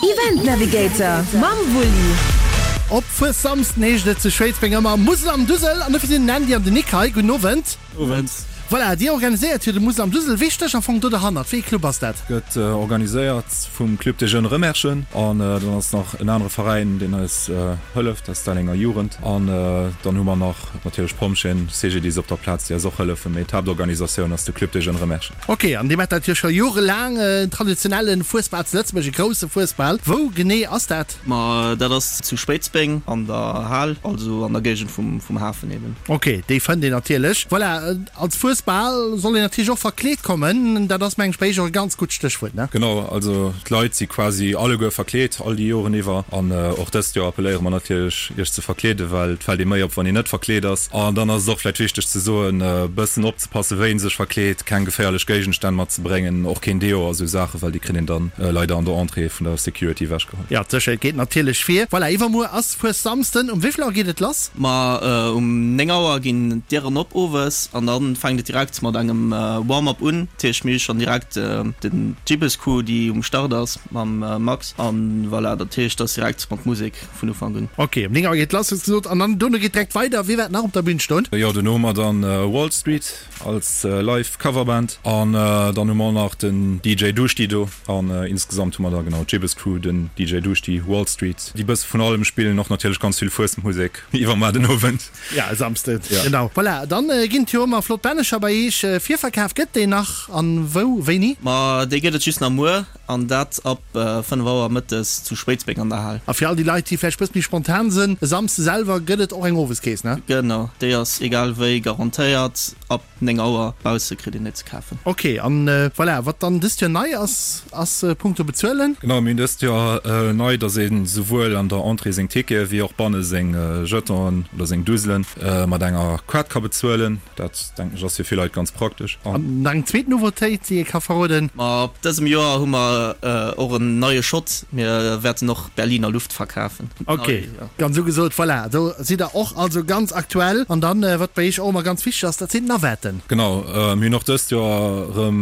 Event Navigator mam Wulli. Op Fuessamsden heescht et zu Schwéidsbeng ëmmer Musel am Dusel an dofir sinn den Andy an den Nick hei. Gudden Owend. Owend. Voilà, dir organiséiert jo de Musel am Dusel. Wee stécht am Fong do derhannert? Wéi ee Club ass dat? Gëtt organiséiert vum Club des Jeunes Remerschen an dann ass nach en anere Veräin, deen eis hëlleft, dat ass d'Ellenger Jugend. An dann hu mer nach natierlech d'Pompjeeën, CGDIS op der Plaz, déi eis och hëllefen. Mee d'Haaptorganisatioun ass de Club des Jeunes Remerschen. Ok, an dir maacht dat jo scho jorelaang, en traditionelle Fuesbal zu Lëtzebuerg, e grousse Fuesbal. Wou genee ass dat? Ma dat ass zu Spéitbeng an der Hal, also an der Géigend vum Hafen eben. Ok, déi fënnt een natierlech. Voilà, als Fuesbal soll een natierlech och verkleet kommen. Dat ass mengen ech bei iech och e ganz gutt Stéchwuert, ne? Genau, also d'Leit si quasi alleguer verkleet, all déi Joren iwwer. An och dëst Joer appelléiere mer natierlech, iech ze verkleeden, well et fält ee méi op, wann een net verkleet ass. An dann ass et och vläicht wichteg ze soen, e bëssen opzepassen, wéi een sech verkleet, keng geféierlech Géigenstänn matzebréngen, och keen Deo a sou Saachen, well déi kritt een dann leider an der Entrée vun der Security ewechgeholl. Jo, d'Sécherheet geet natierlech vir. Voilà, iwwermuer ass Fuessamsden. Um wéi vill Auer geet et lass? Ma um 9 Auer ginn d'Dieren op owes an da fänkt et direkt mat engem Warm-up un. Dat heescht, mir hu schonn direkt den Gibbes-Crew, déi um Start ass mam Max. An voilà, dat heescht, et ass direkt mat Musek vun Ufank un. Ok, um 9 Auer geet lass, hues gesot, an dann dono geet direkt weider. Wie wäert nach op der Bühn stoen? Jo, dono hu mer dann Wall Street als live Coverband an dann hu mer och nach den DJ Duschti do an insgesamt hu mer da genau d'Gibbes Crew, den DJ Duschti, Wall Street, déi bësse vun allem spillen, och natierlech ganz vill Fuesmusek iwwermuer den Owend. Ja, e Samsden, genau. Voilà, dann ginn et jo ëmmer flott Bännecher bei iech. Virverkaf gëtt deen nach an wou, wéini? Ma dee gëtt et just nach muer An dat ab 5 Auer mëttes zu Schwéidsbeng an der Hal. A fir all déi Leit, déi vläicht bësse méi spontan sënn, e Samsde selwer gëtt et och eng Oweskeess, ne? Genau, déi ass egal wéi garantéiert ab 9 Auer. Bausse kritt een net ze kafen. Ok, an voilà, wat dann dëst Joer nei ass, ass punkto bezuelen. Genau, mir hunn dëst Joer nei, dass ee souwuel an der Entrée seng Tickete wéi och banne seng Jetonen oder seng Duselen mat enger Kaart ka bezuelen. Dat, denken ech, ass fir vill Leit ganz praktesch. An nach eng zweet Nouveautéit, déi ee ka verroden. Ma ab dësem Joer hu mer och en neie Shot, mir wäerten och Berliner Luft verkafen. Ok, ganz ugesot. Voilà, do sidd der och also ganz aktuell. An dann, wat bei iech och ëmmer ganz wichteg ass, dat sinn d'Navetten. Genau, mir hunn och dëst Joer erëm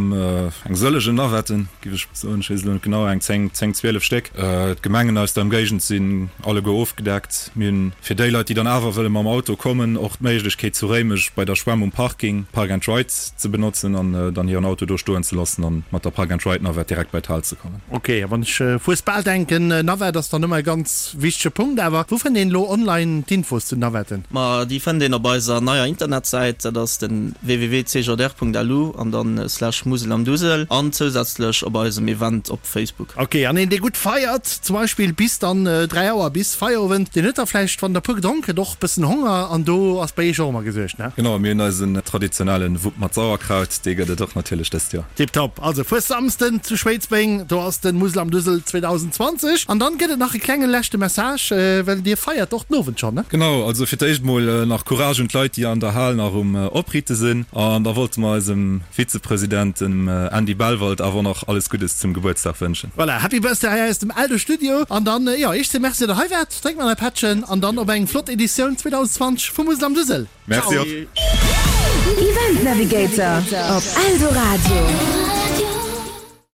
eng sëllegen Navetten, giff ech soen. Ech weess elo net genau, eng 10, 10, 12 Stéck. D'Gemengen aus der Ëmgéigend sinn alleguer ofgedeckt. Mir hunn fir déi Leit, déi dann awer wëlle mam Auto kommen, och d'Méiglechkeet zu Réimech bei der Schwämm um Parking Park and Ride ze benotzen an dann hiren Auto do stoen ze loossen an mat der Park and Ride Navette direkt bei d'Hal ze kommen. Ok, a wann ech Fuesbal denken, Navette ass dann ëmmer e ganz wichtege Punkt. Awer wou fënnt een elo online d'Infos zu Navetten? Ma déi fënnt een op eiser neier Internetsäit, dat ass den www.cjr.lu an dann slash Musel am Dusel an zousätzlech op eisem Event op Facebook. Ok, an een dee gutt feiert, zum Beispill bis dann 3 Auer, bis Feierowend, deen huet da vläicht, wann der puer gedronk huet, och bëssen Honger an do ass bei iech och ëmmer gesuergt, ne? Genau, mir hunn eisen traditionellen Wupp mat Sauerkraut, dee gëtt et och natierlech dëst Joer. Tiptop, also Fuessamsden zu Schwéidsbeng, do ass den Musel am Dusel 2020. An dann gëtt et nach e klenge leschte Message, well dir feiert och den Owend schonn, ne? Genau, also fir d'éischt mol nach Courage un d'Leit, déi an der Hal nach um Opriite sinn an da wollte mer eisem Vizepresident, dem Andy Bellwald, awer och nach alles Guddes zum Gebuertsdag wënschen. Voilà, Happy Birthday hei aus dem Eldo Studio. An dann, jo, iech ze Merci, datt der hei waart. Drénkt mat e Pättchen an dann op eng flott Editioun 2020 vu Musel am Dusel. Merci Ciao! och. Event Navigator op Eldoradio.